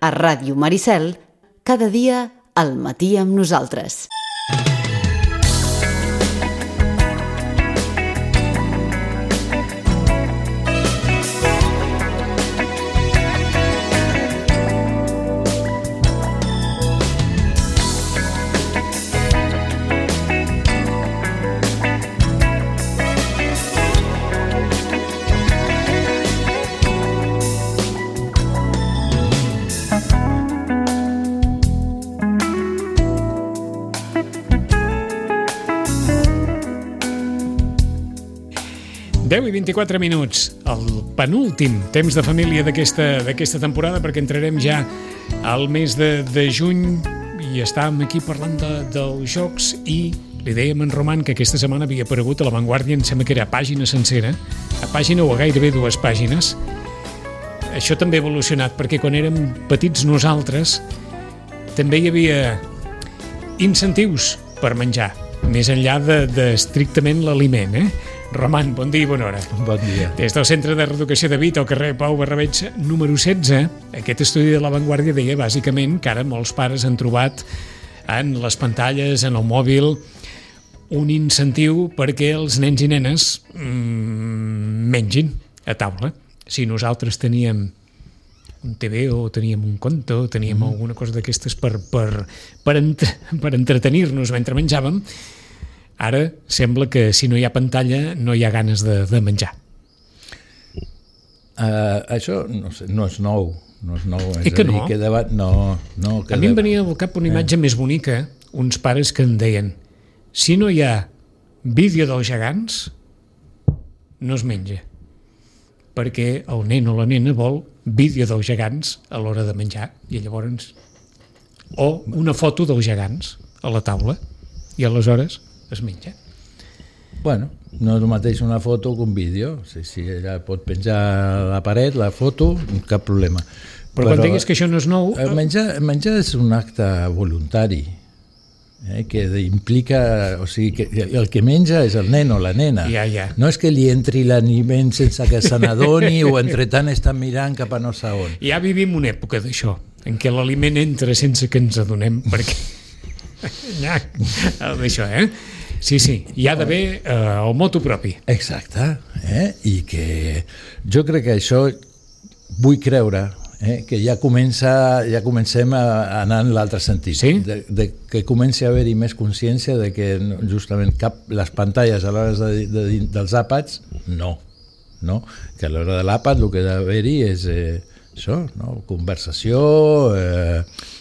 A Ràdio Maricel, cada dia al matí amb nosaltres. I 24 minuts, el penúltim temps de família d'aquesta temporada, perquè entrarem ja al mes de juny i estàvem aquí parlant dels jocs i li dèiem en Roman que aquesta setmana havia aparegut a La Vanguardia, em sembla que era a pàgina sencera, a pàgina o a gairebé 2 pàgines. Això també ha evolucionat, perquè quan érem petits nosaltres també hi havia incentius per menjar, més enllà de estrictament l'aliment, Roman, bon dia i bona hora. Bon dia. Des del Centre de Reeducació de Vita, al carrer Pau Barrabeig número 16, aquest estudi de La Vanguardia deia bàsicament que ara molts pares han trobat en les pantalles, en el mòbil, un incentiu perquè els nens i nenes mengin a taula. Si nosaltres teníem un TV o teníem un conte o teníem alguna cosa d'aquestes per entretenir-nos mentre menjàvem, ara sembla que si no hi ha pantalla no hi ha ganes de menjar. Això no és nou. Que no? A mi em venia al cap una imatge més bonica, uns pares que em deien: si no hi ha vídeo dels gegants, no es menja. Perquè el nen o la nena vol vídeo dels gegants a l'hora de menjar, i llavors o una foto dels gegants a la taula, i aleshores es menja. Bueno, no és el mateix una foto que un vídeo. Si ella pot penjar a la paret la foto, cap problema. Però quan diguis que això no és nou... Menjar és un acte voluntari, que implica... O sigui, que el que menja és el nen o la nena. Ja. No és que li entri l'aliment sense que se n'adoni o entretant està mirant cap a no sé on. Ja vivim una època d'això, en què l'aliment entra sense que ens adonem, perquè... d'això, Sí, hi ha d'haver el moto propi. Exacte, i que jo crec que això vull creure que ja comencem a anar en l'altre sentit, sí? de que comenci a haver-hi més consciència de que justament les pantalles a l'hora dels àpats, no, que a l'hora de l'àpat el que ha d'haver-hi és això, conversació,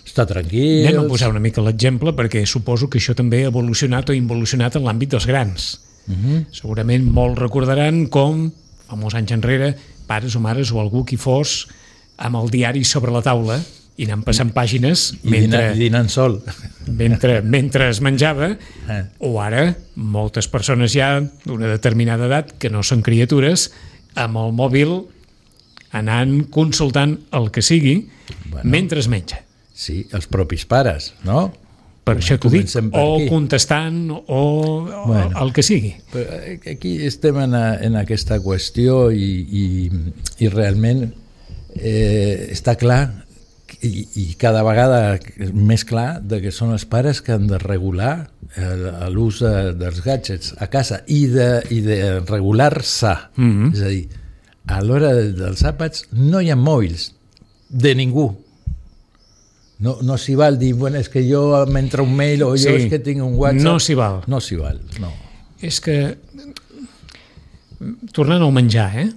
estar tranquils... Anem a posar una mica l'exemple, perquè suposo que això també ha evolucionat o involucionat en l'àmbit dels grans. Segurament molts recordaran com, fa molts anys enrere, pares o mares o algú qui fos amb el diari sobre la taula i anant passant pàgines dinant sol mentre es menjava, o ara moltes persones ja d'una determinada edat que no són criatures, amb el mòbil anant consultant el que sigui mentre es menja. Sí, els propis pares, no? Per això t'ho dic, o contestant o el que sigui. Però aquí estem en aquesta qüestió i realment està clar i cada vegada més clar que són els pares que han de regular l'ús dels gadgets a casa i de regular-se. És a dir, a l'hora dels àpats no hi ha mòbils de ningú. No s'hi val dir, bueno, és que jo m'entra un mail o jo és que tinc un WhatsApp. No s'hi val. No s'hi val, no. És que, tornant al menjar,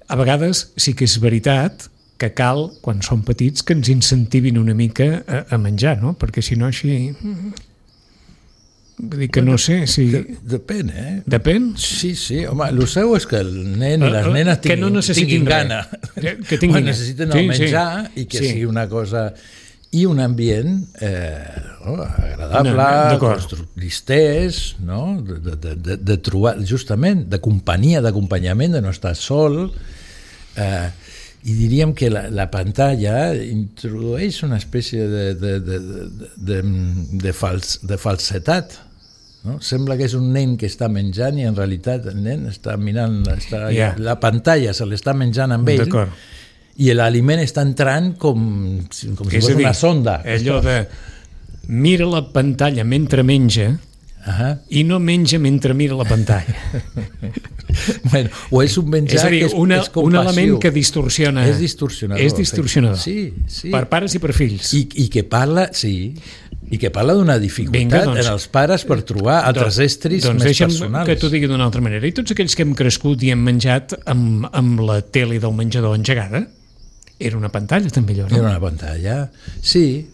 a vegades sí que és veritat que cal, quan som petits, que ens incentivin una mica a menjar, no? Perquè si no així... Vull dir que no sé si... Depèn, Depèn? Sí, home, el seu és que el nen i les nenes tinguin gana. Necessiten el menjar i que sigui una cosa... I un ambient agradable, distès, no? De trobar, justament, de companyia, d'acompanyament, de no estar sol. I diríem que la pantalla introdueix una espècie de falsetat. No? Sembla que és un nen que està menjant i en realitat el nen està mirant la pantalla, se l'està menjant amb ell. i l'aliment està entrant com si fos una sonda. Allò de mira la pantalla mentre menja i no menja mentre mira la pantalla. Bueno, o és un menjar és a dir, que és compassiu. Un element que distorsiona. És distorsionador. És distorsionador. Sí. Per pares i per fills. I que parla, i que parla d'una dificultat en els pares per trobar altres estris més personals. Deixa'm que t'ho digui d'una altra manera. I tots aquells que hem crescut i hem menjat amb la tele del menjador engegada, era una pantalla també allò, no? Era una pantalla, sí,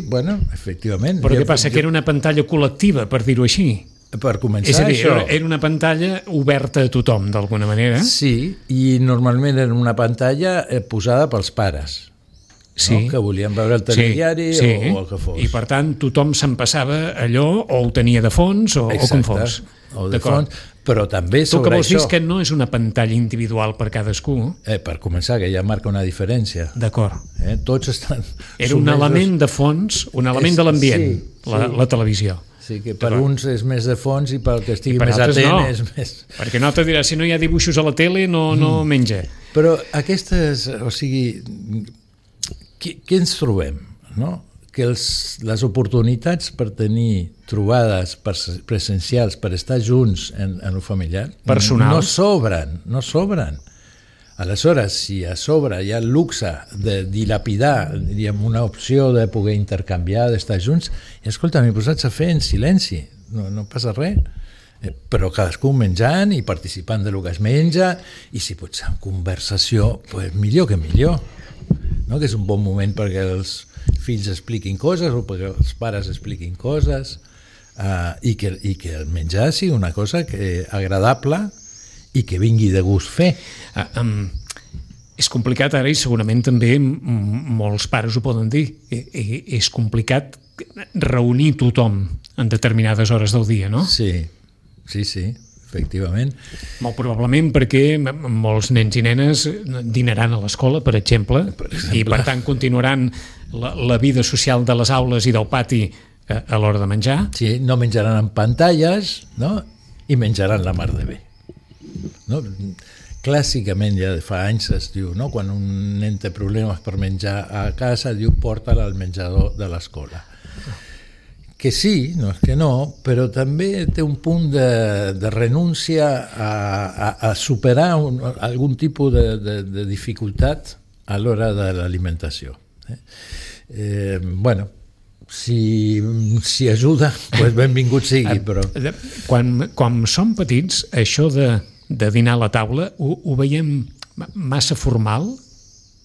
bueno, efectivament. Però què passa? Que era una pantalla col·lectiva, per dir-ho així. Per començar, és a dir, això... era una pantalla oberta a tothom, d'alguna manera. Sí, i normalment era una pantalla posada pels pares, no? Que volien veure el telediari o el que fos. I per tant tothom se'n passava allò, o ho tenia de fons o com fos. O de fons, però també sobre això... Tu que vols dir que no és una pantalla individual per cadascú? Per començar, que ja marca una diferència. D'acord. Tots estan... Era un element de fons, un element de l'ambient, la televisió. Sí, que per uns és més de fons i pel que estigui més atent és més... Perquè no te dirà, si no hi ha dibuixos a la tele no menja. Però aquestes, o sigui, què ens trobem, no? Que les oportunitats per tenir trobades presencials, per estar junts en el familiar, personals, no sobren. Aleshores, si a sobre hi ha el luxe de dilapidar, diríem, una opció de poder intercanviar, d'estar junts, i escolta, m'he posat a fer en silenci, no passa res, però cadascú menjant i participant de lo que es menja, i si pot ser en conversació, pues millor que millor, no? Que és un bon moment perquè els fills expliquin coses o perquè els pares expliquin coses, i que el menjar sigui una cosa agradable i que vingui de gust fer. És complicat ara, i segurament també molts pares ho poden dir, és complicat reunir tothom en determinades hores del dia, no? Sí, efectivament. Molt probablement perquè molts nens i nenes dinaran a l'escola, per exemple, i per tant continuaran la vida social de les aules i del pati a l'hora de menjar. Sí, no menjaran en pantalles, no? I menjaran la mar de bé. No? Clàssicament, ja de fa anys es diu, no? Quan un nen té problemes per menjar a casa, diu porta-la al menjador de l'escola. Que sí, no és que no, però també té un punt de renúncia a superar algun tipus de dificultat a l'hora de l'alimentació. Bueno, si ajuda, pues benvingut sigui, però... Quan som petits, això de dinar a la taula ho veiem massa formal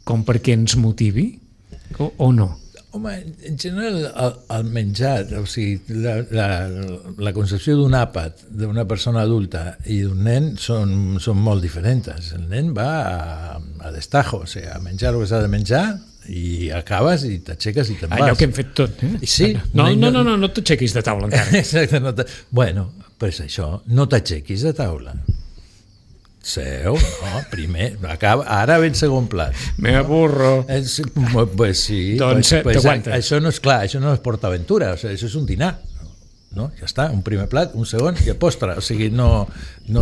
com perquè ens motivi o no? Home, en general el menjar, o sigui, la concepció d'un àpat d'una persona adulta i d'un nen són molt diferents. El nen va a destajo, o sigui, a menjar el que s'ha de menjar i acabes i t'aixeques i te'n vas. Allò que hem fet tot, eh? Sí. No t'aixequis de taula encara. Exacte. Bueno, pues això, no t'aixequis de taula. Seu, no, primer, acaba, ara ve el segon plat. Me aburro. Pues sí, doncs t'aguantes. Això no és clar, això no és PortAventura, o sigui, això és un dinar. No? Ja està, un primer plat, un segon i el postre, o sigui, no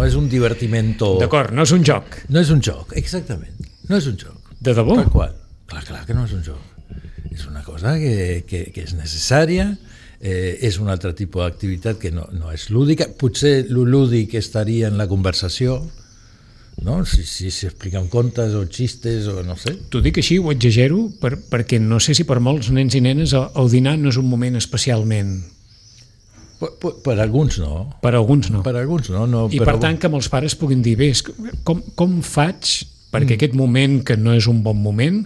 és un divertimento... D'acord, no és un joc. No és un joc, exactament, no és un joc. De debò? Tal qual. Clar que no és un joc. És una cosa que és necessària, és un altre tipus d'activitat que no és lúdica, potser el lúdic estaria en la conversació, no? Si expliquen contes o xistes o no sé. T'ho dic així, ho exagero, perquè no sé si per molts nens i nenes el dinar no és un moment especialment... Per alguns no. Per alguns no. Per alguns no. I per tant que molts pares puguin dir, bé, com faig perquè aquest moment, que no és un bon moment,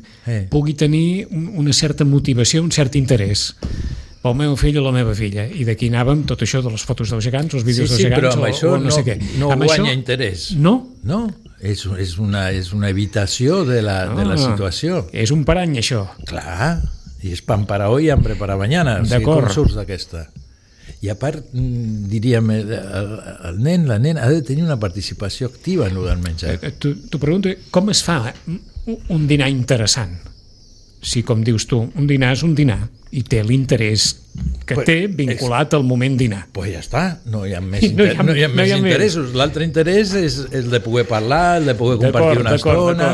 pugui tenir una certa motivació, un cert interès pel meu fill o la meva filla, i d'aquí anàvem tot això de les fotos dels gegants, els vídeos dels gegants, però amb això o no sé què. No guanya interès. No? No, és una evitació de la situació. És un parany, això. Clar, i és pan para hoy, hambre para mañana. O sigui, com surts d'aquesta? I a part, diríem, el nen, la nena ha de tenir una participació activa en el del menjar. T'ho pregunto, com es fa un dinar interessant? Si, com dius tu, un dinar és un dinar i té l'interès que té vinculat al moment dinar. Pues ja està, no hi ha més interessos. L'altre interès és el de poder parlar, el de poder compartir una estona,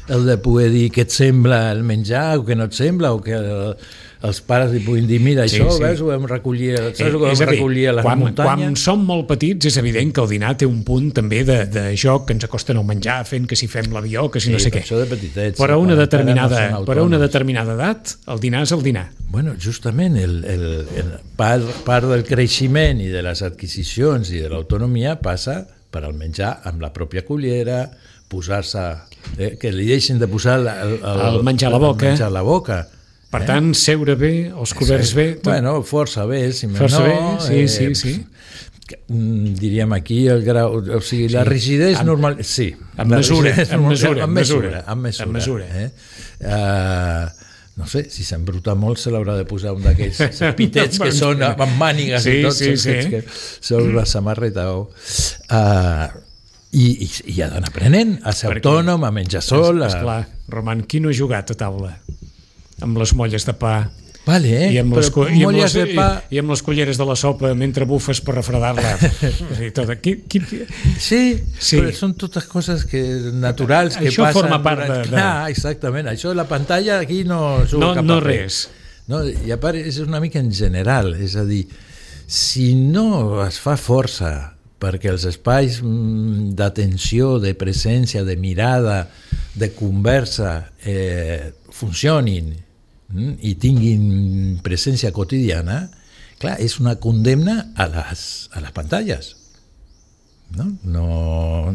el de poder dir què et sembla el menjar o què no et sembla, o que els pares li puguin dir mira, això, veus, ho vam recollir, recollir a les muntanyes. Quan som molt petits és evident que el dinar té un punt també de joc, que ens acosten al menjar fent que si fem l'avió, que si no sé què. Això de petitets. Però a una determinada edat el dinar és el dinar. Bueno, justament part del creixement i de les adquisicions i de l'autonomia passa per al menjar amb la pròpia cullera, posar-se, que li deixin de posar el menjar a la boca. Per tant, seure bé, els coberts bé... Bueno, força bé, si més força no. Bé, sí. Diríem aquí el grau... O sigui, la rigidesa normal... Sí. Amb mesura. No sé, si s'embruta molt se l'haurà de posar un d'aquells pitets que són amb mànigues i tots, que són la samarreta i ha d'anar aprenent a ser autònom, a menjar sol. Esclar, Roman, qui no ha jugat a taula? Amb les molles de pa i amb les culleres de la sopa mentre bufes per refredar-la. Sí, però són totes coses naturals que això passen. Això forma part de... Clar, exactament. Això, la pantalla aquí no juga cap paper. No res. I a part és una mica en general, és a dir, si no es fa força perquè els espais d'atenció, de presència, de mirada, de conversa funcionin i tinguin presència quotidiana, clar, és una condemna a les pantalles. No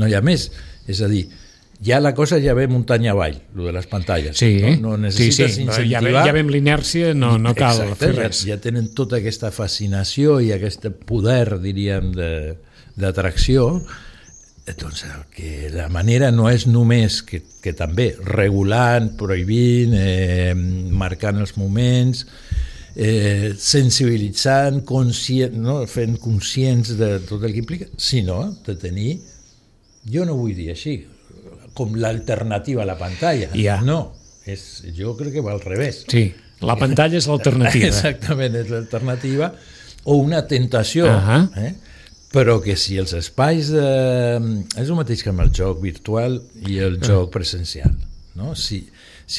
hi ha més. És a dir, ja la cosa ja ve muntanya avall, lo de les pantalles. No necessites incentivar. Ja ve amb l'inèrcia, no cal fer res. Ja tenen tota aquesta fascinació i aquest poder, diríem, d'atracció. Doncs que la manera no és només que també regulant, prohibint, marcant els moments, sensibilitzant, fent conscients de tot el que implica, sinó de tenir, jo no vull dir així, com l'alternativa a la pantalla. No, jo crec que va al revés. Sí, la pantalla és l'alternativa. Exactament, és l'alternativa o una tentació, però que si els espais és el mateix que amb el joc virtual i el joc presencial, no? Si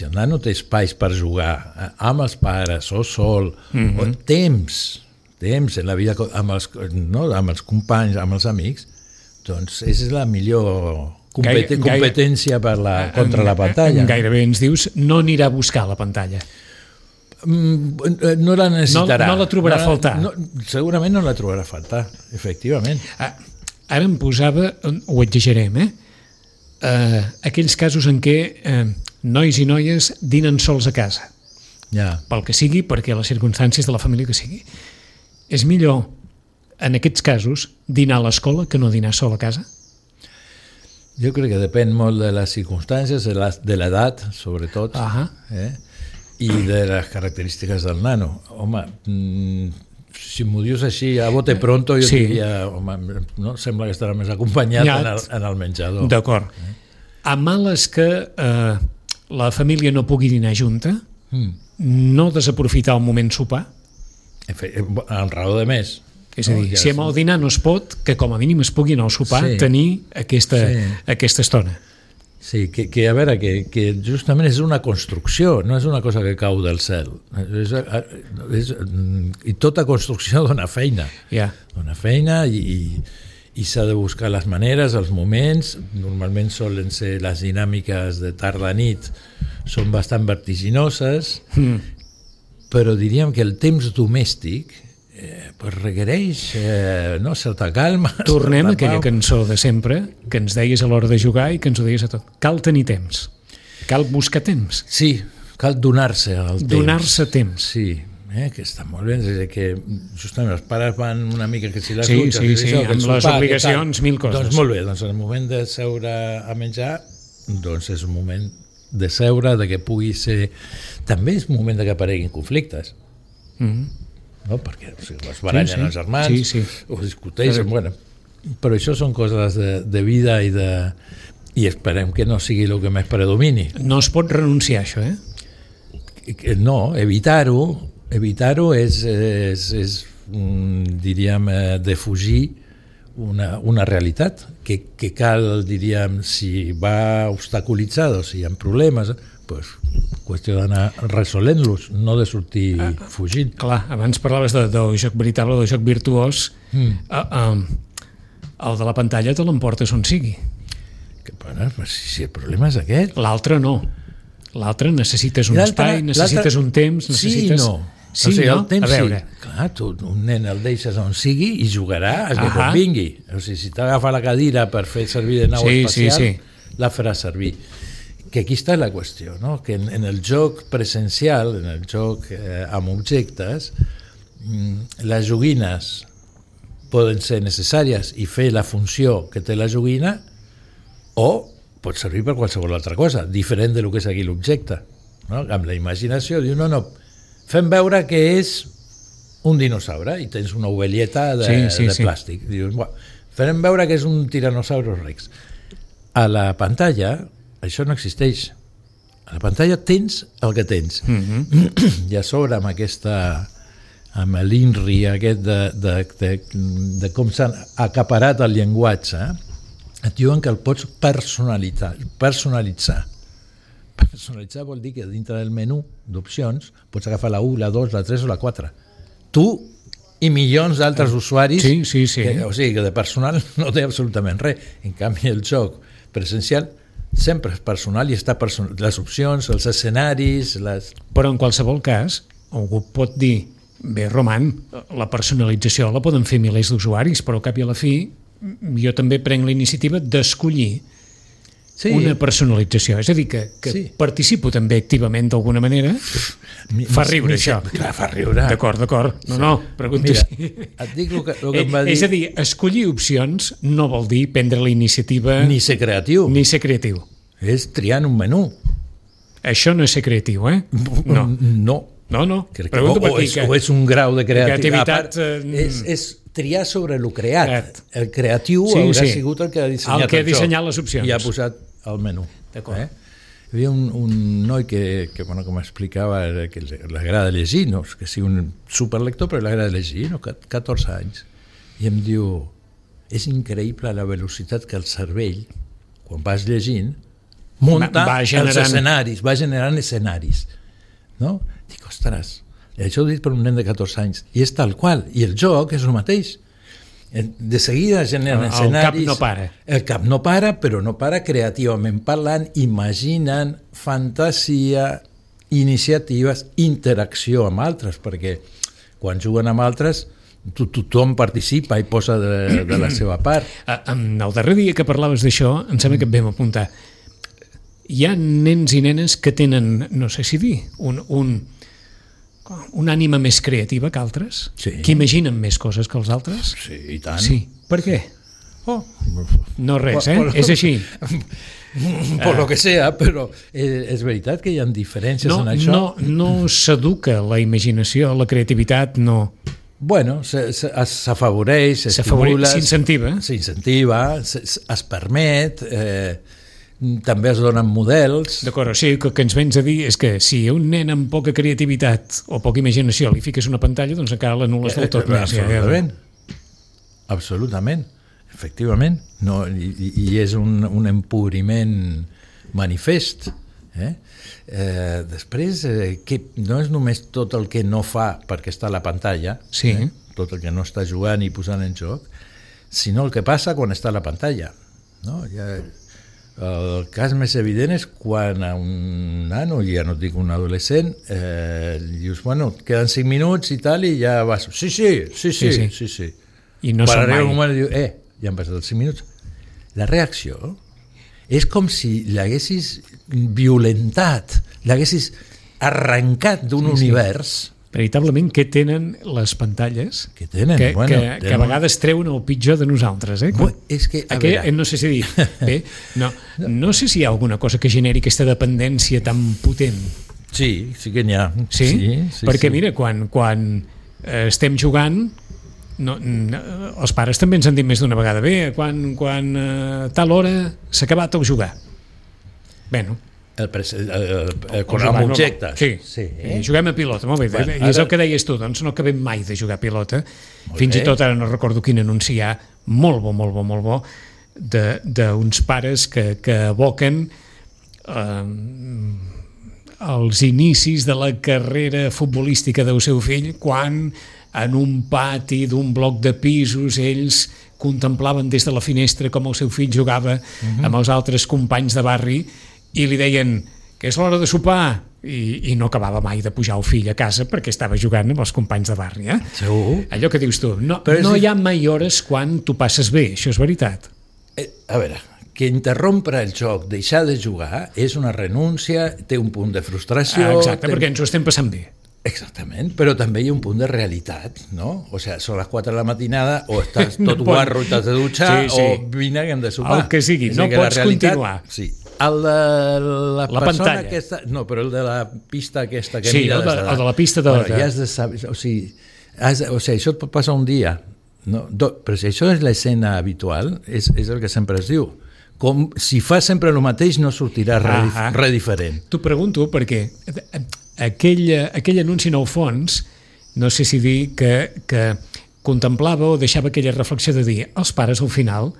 el nano té espais per jugar amb els pares o sol, o temps en la vida amb els companys, amb els amics, doncs és la millor competència contra la pantalla. Gairebé ens dius no anirà a buscar la pantalla. No la necessitarà. No la trobarà a faltar. Segurament no la trobarà a faltar, efectivament. Ara em posava, ho exagerem, aquells casos en què nois i noies dinen sols a casa. Pel que sigui, perquè les circumstàncies de la família que sigui. És millor, en aquests casos, dinar a l'escola que no dinar sol a casa? Jo crec que depèn molt de les circumstàncies, de l'edat, sobretot, i de les característiques del nano. Home, si m'ho dius així a bote pronto, jo diria, home, no? Sembla que estarà més acompanyat en el menjador. D'acord. A males que la família no pugui dinar junta, no desaprofitar el moment sopar? En raó de més. És a dir, si amb el dinar no es pot, que com a mínim es pugui anar al sopar tenir aquesta estona. Sí, que a veure, que justament és una construcció, no és una cosa que cau del cel. I tota construcció dona feina. Dona feina i s'ha de buscar les maneres, els moments. Normalment solen ser les dinàmiques de tarda-nit, són bastant vertiginoses, però diríem que el temps domèstic requereix certa calma. Tornem a aquella cançó de sempre que ens deies a l'hora de jugar i que ens ho deies a tot. Cal tenir temps, cal buscar temps. Sí, cal donar-se al temps. Donar-se temps. Sí, que està molt bé, és que justament els pares van una mica que si les dutxes, amb les obligacions, mil coses. Doncs molt bé, doncs en el moment de seure a menjar, doncs és un moment de seure, de que pugui ser... També és un moment de que apareguin conflictes. No? Perquè es barallen els germans, o discuteixen, però això són coses de vida i esperem que no sigui el que més predomini. No es pot renunciar a això, No, evitar-ho és diríem, defugir una realitat que cal, diríem, si va obstaculitzat o si hi ha problemes, pues, qüestió d'anar resolent-los, no de sortir fugint. Clar, abans parlaves del joc veritable, del joc virtuós. El de la pantalla te l'emportes on sigui. Bueno, si el problema és aquest. L'altre no. L'altre necessites un espai, necessites un temps, necessites... Sí, no. Sí, o sigui, no? el temps, a veure. sí. Clar, tu, un nen el deixes on sigui i jugarà a que convingui. O sigui, si t'agafa la cadira per fer servir de nau espacial, la farà servir. Que aquí està la qüestió, no? Que en el joc presencial, en el joc amb objectes, les joguines poden ser necessàries i fer la funció que té la joguina, o pot servir per qualsevol altra cosa, diferent del que és aquí l'objecte. No? Amb la imaginació, diu, no, fem veure que és un dinosaure i tens una ovelleta de plàstic. Dius, farem veure que és un tiranosaurus rex. A la pantalla això no existeix. A la pantalla tens el que tens. I a sobre amb l'INRI aquest de com s'ha acaparat el llenguatge, et diuen que el pots personalitzar. Personalitzar vol dir que dintre del menú d'opcions pots agafar la 1, la 2, la 3 o la 4. Tu i milions d'altres usuaris o sigui que de personal no té absolutament res. En canvi el joc presencial sempre és personal i està les opcions, els escenaris... Però en qualsevol cas algú pot dir, bé, Roman, la personalització la poden fer milers d'usuaris, però al cap i a la fi jo també prenc la iniciativa d'escollir una personalització, és a dir, que participo també activament d'alguna manera. Fa riure això. Clar, fa riure. D'acord. No, pregunto. Mira, et dic el que em va dir... És a dir, escollir opcions no vol dir prendre la iniciativa... Ni ser creatiu. És triar en un menú. Això no és ser creatiu, eh? No. No. O és un grau de creativitat. És triar sobre el creat. El creatiu haurà sigut el que ha dissenyat el que ha dissenyat les opcions. I ha posat el menú. D'acord. Hi havia un noi que m'explicava que l'agrada llegir, no és que sigui un superlector, però l'agrada llegir, 14 anys. I em diu, és increïble la velocitat que el cervell, quan vas llegint, munta els escenaris, va generant escenaris. No? Dic, ostres, això ho he dit per un nen de 14 anys, i és tal qual, i el joc és el mateix. De seguida generen escenaris... El cap no para. El cap no para, però no para creativament parlant, imaginant, fantasia, iniciatives, interacció amb altres, perquè quan juguen amb altres tothom participa i posa de la seva part. El darrer dia que parlaves d'això, em sembla que et vam apuntar. Hi ha nens i nenes que tenen, no sé si dir, una ànima més creativa que altres, que imaginen més coses que els altres. Sí, i tant. Sí. Per què? No res, és així. Per lo que sea, però és veritat que hi ha diferències en això. No s'educa la imaginació, la creativitat, no... Bueno, s'afavoreix, s'estimula... S'incentiva, es permet... també es donen models. D'acord, o sigui, que ens vens a dir és que si un nen amb poca creativitat o poca imaginació li fiques una pantalla, doncs encara l'anul·les del tot. Absolutament, efectivament. I és un empobriment manifest. Després, que no és només tot el que no fa perquè està a la pantalla, tot el que no està jugant i posant en joc, sinó el que passa quan està a la pantalla. El cas més evident és quan a un nano, ja no et dic un adolescent, dius, bueno, queden 5 minuts i tal, i ja vas... Sí. I no són mai. Un moment diu, ja han passat els 5 minuts. La reacció és com si l'haguessis violentat, l'haguessis arrencat d'un univers... Veritablement, què tenen les pantalles que a vegades treuen el pitjor de nosaltres? És que, no sé si dir... Bé, no sé si hi ha alguna cosa que generi aquesta dependència tan potent. Sí que n'hi ha. Sí? Perquè mira, quan estem jugant, els pares també ens han dit més d'una vegada, bé, quan a tal hora s'ha acabat el jugar. Bueno, amb objectes. Sí. Juguem a pilota, molt bé. I és el que deies tu, doncs no acabem mai de jugar a pilota. Fins i tot ara no recordo quin anunci hi ha, molt bo, d'uns pares que evoquen els inicis de la carrera futbolística del seu fill, quan en un pati d'un bloc de pisos ells contemplaven des de la finestra com el seu fill jugava amb els altres companys de barri i li deien que és l'hora de sopar, i no acabava mai de pujar el fill a casa perquè estava jugant amb els companys de barri. Segur. Allò que dius tu, no hi ha mai hores quan tu passes bé, això és veritat. A veure, que interrompre el joc, deixar de jugar, és una renúncia, té un punt de frustració... Exacte, perquè ens ho estem passant bé. Exactament, però també hi ha un punt de realitat, no? O sigui, són les 4 de la matinada, o estàs tot guarro i t'has de dutxar, o vine que hem de sopar. El que sigui, no pots continuar. Sí. El de la persona pantalla. aquesta... No, però el de la pista aquesta que mira... Sí, el de la pista de... Bueno, ja has de saber... O sigui, això et pot passar un dia, no? Però si això és l'escena habitual, és el que sempre es diu. Com si fas sempre el mateix no sortirà res diferent. T'ho pregunto perquè aquell anunci en el fons, no sé si dir que contemplava o deixava aquella reflexió de dir els pares al final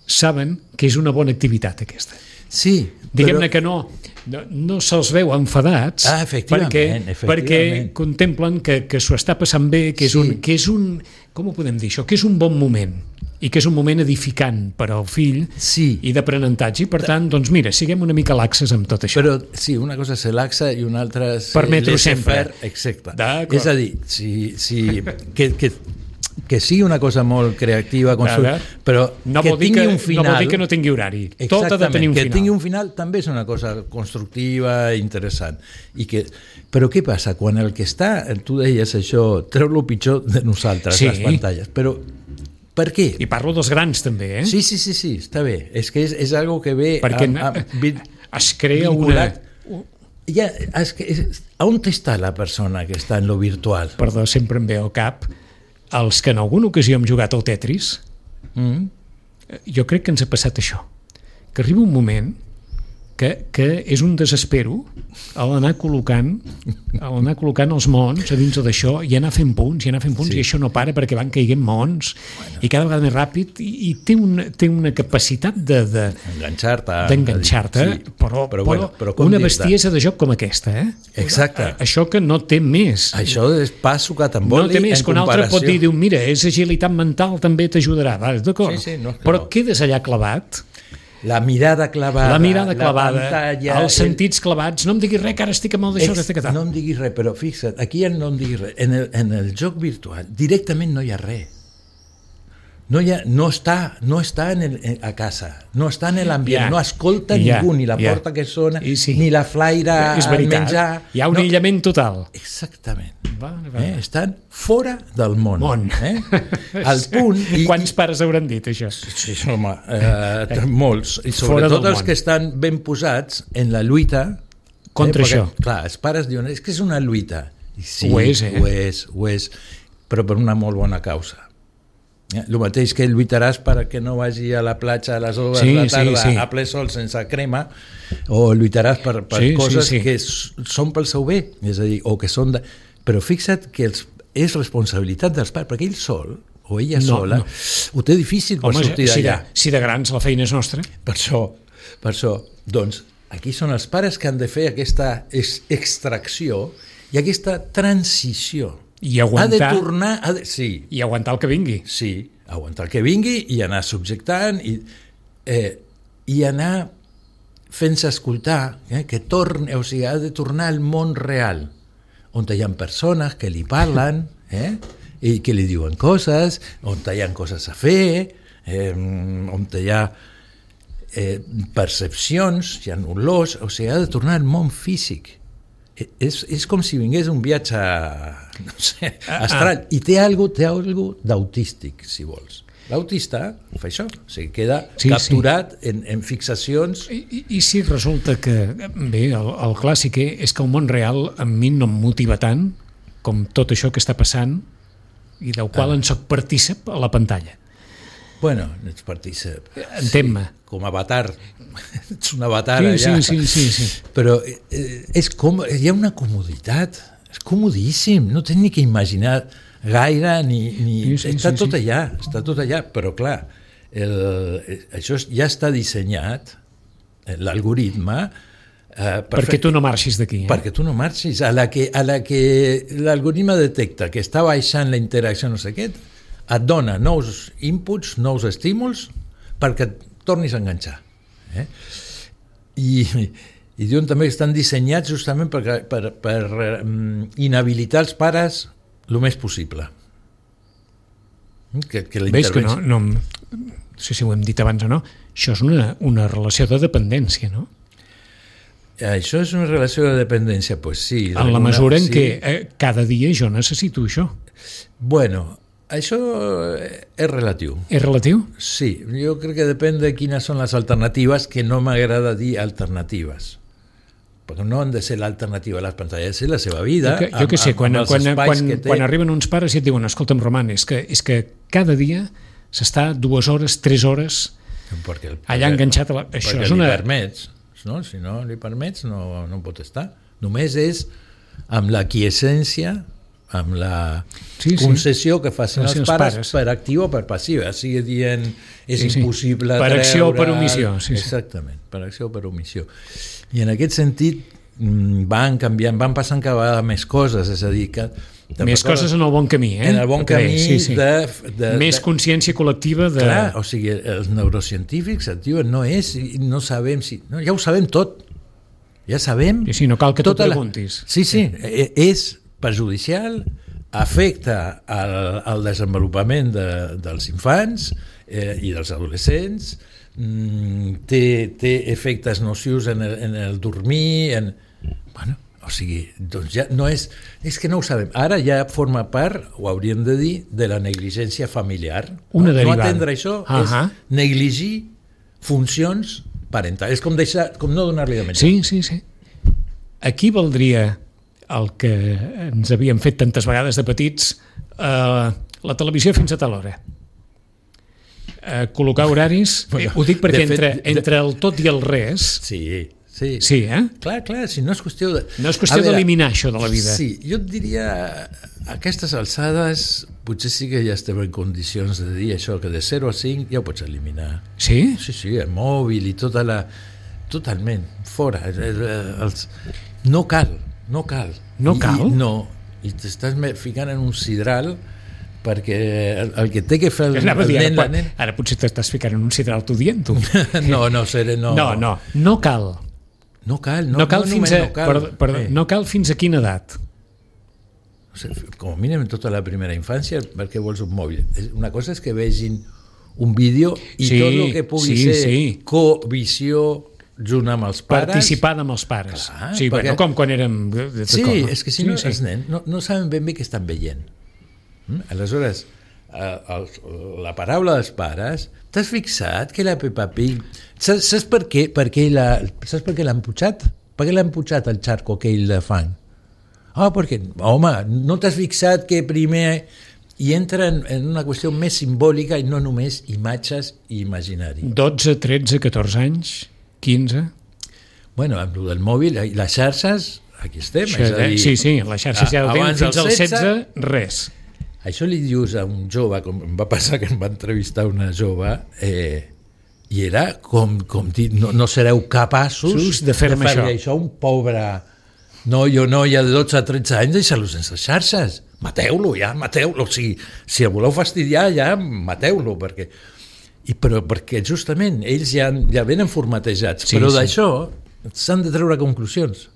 saben que és una bona activitat aquesta. Sí, diguem-ne que no se'ls veu enfadats perquè contemplen que s'ho està passant bé, que és un com ho podem dir això? Que és un bon moment i que és un moment edificant per al fill i d'aprenentatge, i per tant, doncs mira, siguem una mica laxes amb tot això. Però sí, una cosa és ser laxa i una altra és permetre-ho sempre. Exacte. És a dir, que sigui una cosa molt creativa, però no que tingui un final... No vol dir que no tingui horari. Tot ha de tenir un final. Que tingui un final també és una cosa constructiva, interessant. Però què passa? Quan el que està, tu deies això, treu el pitjor de nosaltres, les pantalles. Però per què? I parlo dels grans també, eh? Sí, està bé. És que és algo que ve... Perquè es crea vinculat. On està la persona que està en lo virtual? Perdó, sempre em ve al cap els que en alguna ocasió hem jugat al Tetris. Jo crec que ens ha passat això, que arriba un moment que és un desespero a l'anar col·locant els mons a dins d'això i anar fent punts, i això no para perquè van caiguent mons i cada vegada més ràpid, i té una capacitat d'enganxar-te, però una bestiesa de joc com aquesta, Exacte. Això que no té més. Això és pa sucat amb oli, no té més, que un altre pot dir, mira, és agilitat mental, també t'ajudarà, d'acord, però quedes allà clavat. La mirada clavada, la pantalla, els sentits clavats. No em diguis res, que ara estic amb el d'això, que estic a tal. No em diguis res, però fixa't, aquí no em diguis res. En el joc virtual directament no hi ha res. No està a casa, no està en l'ambient, no escolta ningú, ni la porta que sona, ni la flaire al menjar. Hi ha un aïllament total. Exactament. Estan fora del món. Al punt... Quants pares hauran dit això? Sí, home, molts. I sobretot els que estan ben posats en la lluita contra això. Clar, els pares diuen, és que és una lluita. Sí, ho és, però per una molt bona causa. El mateix que lluitaràs perquè no vagi a la platja a les 2 de la tarda a ple sol sense crema, o lluitaràs per coses que són pel seu bé, és a dir, o que són però fixa't que és responsabilitat dels pares, perquè ell sol o ella sola ho té difícil per sortir d'allà. Si de grans la feina és nostra. Per això, doncs aquí són els pares que han de fer aquesta extracció i aquesta transició. I aguantar, i aguantar el que vingui. Sí, aguantar el que vingui i anar subjectant i anar fent-se escoltar, que torni, o sigui, ha de tornar al món real, on hi ha persones que li parlen i que li diuen coses, on hi ha coses a fer, on hi ha percepcions, hi ha olors, o sigui, ha de tornar al món físic. És com si vingués un viatge, no sé, astral, i té algo d'autístic, si vols. L'autista fa això, o sigui, queda capturat en fixacions. I si resulta que, bé, el clàssic és que el món real a mi no em motiva tant com tot això que està passant i del qual en soc partícip a la pantalla. Bueno, ets partícip. Entén-me. Com avatar. Ets un avatar allà. Sí. Però és com... Hi ha una comoditat. És comodíssim. No tens ni que imaginar gaire ni... Està tot allà. Però clar, això ja està dissenyat, l'algoritme, perquè tu no marxis d'aquí. Perquè tu no marxis. A la que l'algoritme detecta que està baixant la interacció, no sé què, et dona nous inputs, nous estímuls, perquè et tornis a enganxar. I diuen també que estan dissenyats justament per inhabilitar els pares el més possible. Veus que no sé si ho hem dit abans o no, això és una relació de dependència, no? Això és una relació de dependència, pues sí. En la mesura en què cada dia jo necessito això. Bueno, això és relatiu. És relatiu? Sí, jo crec que depèn de quines són les alternatives, que no m'agrada dir alternatives. Perquè no han de ser l'alternativa a les pantalles, és la seva vida. Jo què sé, quan arriben uns pares i et diuen, escolta'm, Roman, és que cada dia s'està 2 hores, 3 hores allà enganxat a la... Això és una... Li permets, no? Si no li permets, no pot estar. Només és amb la quiescència, amb la concessió que facin els pares per actiu o per passiu, sigui dient és impossible per acció o per omissió. Exactament, per acció o per omissió. I en aquest sentit van canviant, van passant cada vegada més coses, és a dir, que més coses en el bon camí, en el bon camí de més consciència col·lectiva de... Clar, o sigui, els neurocientífics et diuen, no sabem si... No, ja ho sabem tot, ja sabem... Sí, no cal que t'ho preguntis. Sí, és perjudicial, afecta al desenvolupament dels infants i dels adolescents, té efectes nocius en el dormir, bueno, o sigui, doncs ja no és que no ho sabem, ara ja forma part, ho hauríem de dir, de la negligència familiar. Una derivada. No atendre això és negligir funcions parentals, és com no donar-li de menjar. Sí. Aquí valdria el que ens havíem fet tantes vegades de petits, la televisió fins a tal hora. Col·locar horaris, ho dic perquè entre el tot i el res... Sí, Clar, si no és qüestió de... No és qüestió d'eliminar això de la vida. Sí, jo et diria, a aquestes alçades, potser sí que ja estem en condicions de dir això, que de 0 a 5 ja ho pots eliminar. Sí? Sí, el mòbil i tota la... Totalment, fora. No cal. No cal? No, i t'estàs ficant en un sidral perquè el que té que fer el nen... Ara potser t'estàs ficant en un sidral tu dient-ho. No cal. No cal fins a quina edat? Com a mínim en tota la primera infància, perquè vols un mòbil. Una cosa és que vegin un vídeo i tot el que pugui ser covisió junt amb els pares... Participada amb els pares. Clar, perquè... com quan érem... és que si no, els nens no saben ben bé què estan veient. Aleshores, la paraula dels pares, t'has fixat que la Peppa Pig... Saps per què l'han putxat? Per què l'han putxat al xarco aquell de fang? Perquè, home, no t'has fixat que primer hi entra en una qüestió més simbòlica i no només imatges i imaginari. 12, 13, 14 anys, 15... Bueno, amb el del mòbil, les xarxes, aquí estem. Sí, les xarxes ja ho tenen, fins al 16, res. Això li dius a un jove, com em va passar que em va entrevistar una jove, i era com dir, no sereu capaços de fer-me això un pobre noi o noia de 12 a 13 anys, deixar-lo sense xarxes. Mateu-lo, mateu-lo. O sigui, si el voleu fastidiar, ja mateu-lo, perquè justament ells ja venen formatejats, però d'això s'han de treure conclusions.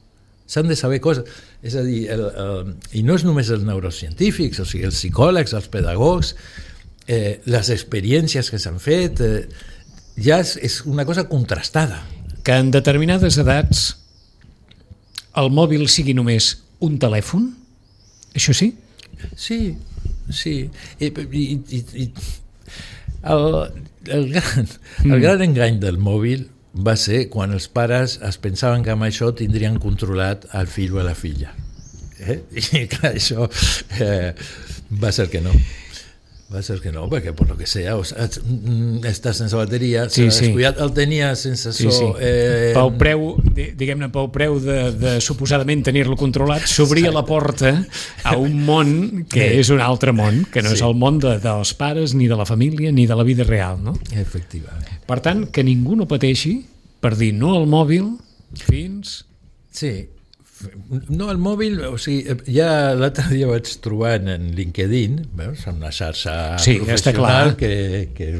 S'han de saber coses. És a dir, i no és només els neurocientífics, o sigui, els psicòlegs, els pedagogs, les experiències que s'han fet, ja és una cosa contrastada. Que en determinades edats el mòbil sigui només un telèfon? Això sí? Sí. I el gran engany del mòbil va ser quan els pares es pensaven que amb això tindrien controlat el fill o la filla. I clar, això va ser que no. Va ser que no, perquè per lo que sea, està sense bateria, Sí, s'ha sí. descuidat, el tenia sense so. Pel preu, diguem-ne, pel preu de suposadament tenir-lo controlat, s'obria la porta a un món que és un altre món, que no és el món dels pares, ni de la família, ni de la vida real, no? Efectivament. Per tant, que ningú no pateixi per dir no al mòbil fins... Sí, no, el mòbil, o sigui, ja l'altre dia vaig trobar en LinkedIn, veus, una xarxa professional que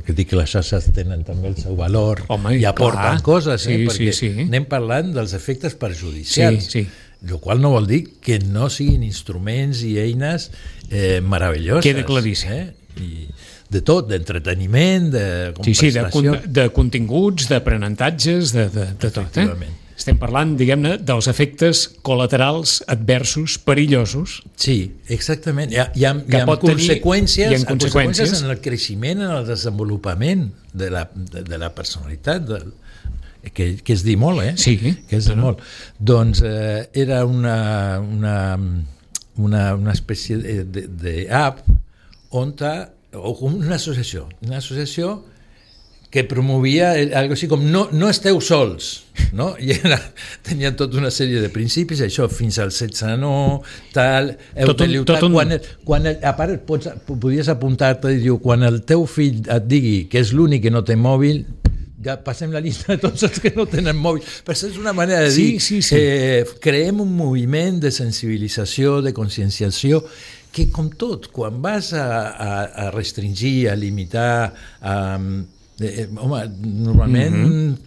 dic que les xarxes tenen també el seu valor. Home, i aporten coses, perquè sí. anem parlant dels efectes perjudicials, Sí. el qual no vol dir que no siguin instruments i eines meravelloses. Queda claríssim. I de tot, d'entreteniment, de compensació. De continguts, d'aprenentatges, de tot. Efectivament. Estem parlant, diguem-ne, dels efectes col·laterals adversos, perillosos. Sí, exactament. Hi ha conseqüències en el creixement, en el desenvolupament de la personalitat, que és dir molt, Sí. Que és dir molt. Doncs era una espècie d'app o una associació que promovia algo així com no esteu sols, no? I tenia tota una sèrie de principis, això fins al 16 no, tal, a part podies apuntar-te i diu, quan el teu fill et digui que és l'únic que no té mòbil, ja passem la llista de tots els que no tenen mòbil. Però això és una manera de dir, creem un moviment de sensibilització, de conscienciació, que com tot, quan vas a restringir, a limitar, home, normalment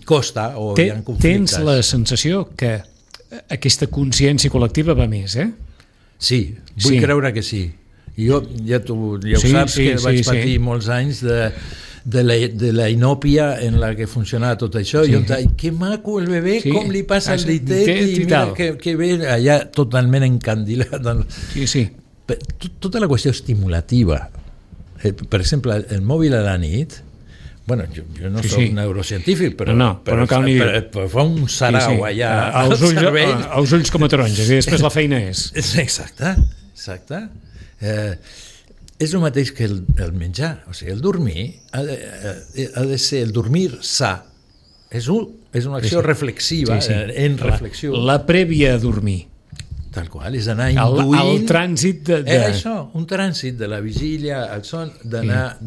costa o hi ha conflictes. Tens la sensació que aquesta consciència col·lectiva va més, Sí, vull creure que sí. Jo, ja ho saps, que vaig patir molts anys de la inòpia en la que funcionava tot això, i que maco el bebè, com li passa el ditet, i mira que bé, allà totalment encandilat. Tota la qüestió estimulativa, per exemple, el mòbil a la nit, bueno, jo no soc neurocientífic, però fa un sarau allà al cervell. Els ulls com a taronges, i després la feina és. Exacte. És el mateix que el menjar, o sigui, el dormir ha de ser el dormir sa. És una acció reflexiva, en reflexió. La prèvia a dormir. Tal qual, és anar induint... El trànsit de... Això, un trànsit de la vigília al son, d'anar...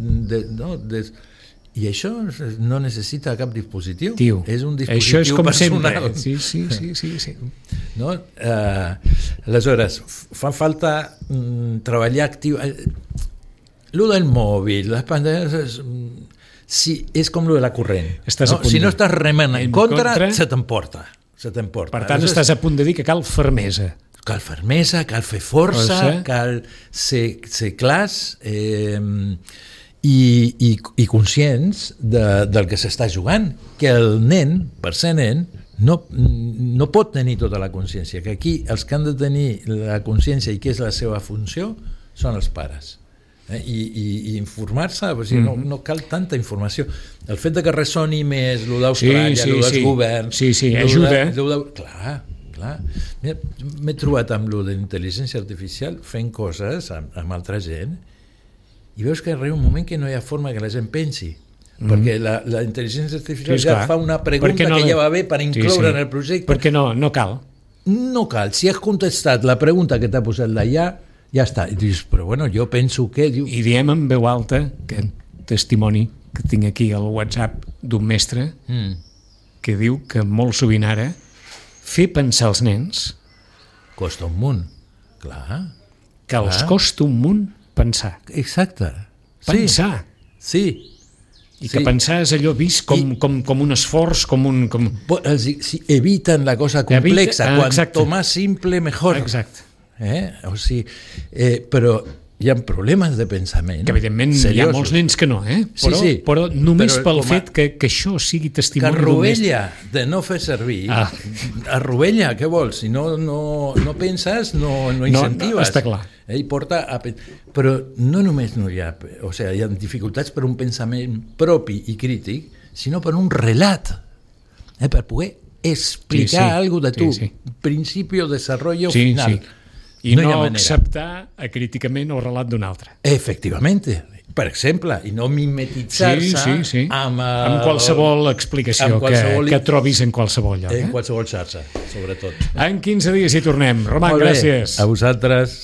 I això no necessita cap dispositiu. És un dispositiu personal. Sí. No? Aleshores, fa falta treballar actiu. Lo del mòbil, les pantalles, és com lo de la corrent. Si no estàs remant en contra, se t'emporta. Per tant, estàs a punt de dir que cal fermesa. Cal fermesa, cal fer força, cal ser clars i conscients del que s'està jugant, que el nen, per ser nen, no pot tenir tota la consciència, que aquí els que han de tenir la consciència i què és la seva funció són els pares. I informar-se, no cal tanta informació. El fet de que ressoni més el d'Austràlia, el dels governs... ajuda. Clar. M'he trobat amb el d'intel·ligència artificial fent coses amb altra gent i veus que arriba un moment que no hi ha forma que la gent pensi, perquè la intel·ligència artificial ja fa una pregunta que ja va bé per incloure en el projecte. Perquè no cal. No cal. Si has contestat la pregunta que t'ha posat d'allà, ja està. I dius, però bueno, jo penso que... I diem en veu alta, que testimoni que tinc aquí al WhatsApp d'un mestre que diu que molt sovint ara fer pensar els nens... Costa un munt, clar. Que els costa un munt pensar. Exacte. Pensar. Sí. I que pensar és allò vist com un esforç, com un... Eviten la cosa complexa. Cuanto más simple, mejor. Exacte. O sigui, però hi ha problemes de pensament. Que evidentment seriosos. Hi ha molts nens que no, però només pel fet que això sigui testimoni que arrovella de no fer servir. Arrovella, què vols? Si no penses, no incentives. No, està clar. Però no només hi ha dificultats per un pensament propi i crític, sinó per un relat, per poder explicar algo de tu, principi o desarrollo final. I no no acceptar acríticament el relat d'un altre. Efectivamente, per exemple, i no mimetitzar-se amb qualsevol explicació que trobis en qualsevol lloc. En qualsevol xarxa, sobretot. En 15 dies hi tornem. Roman, gràcies. A vosaltres.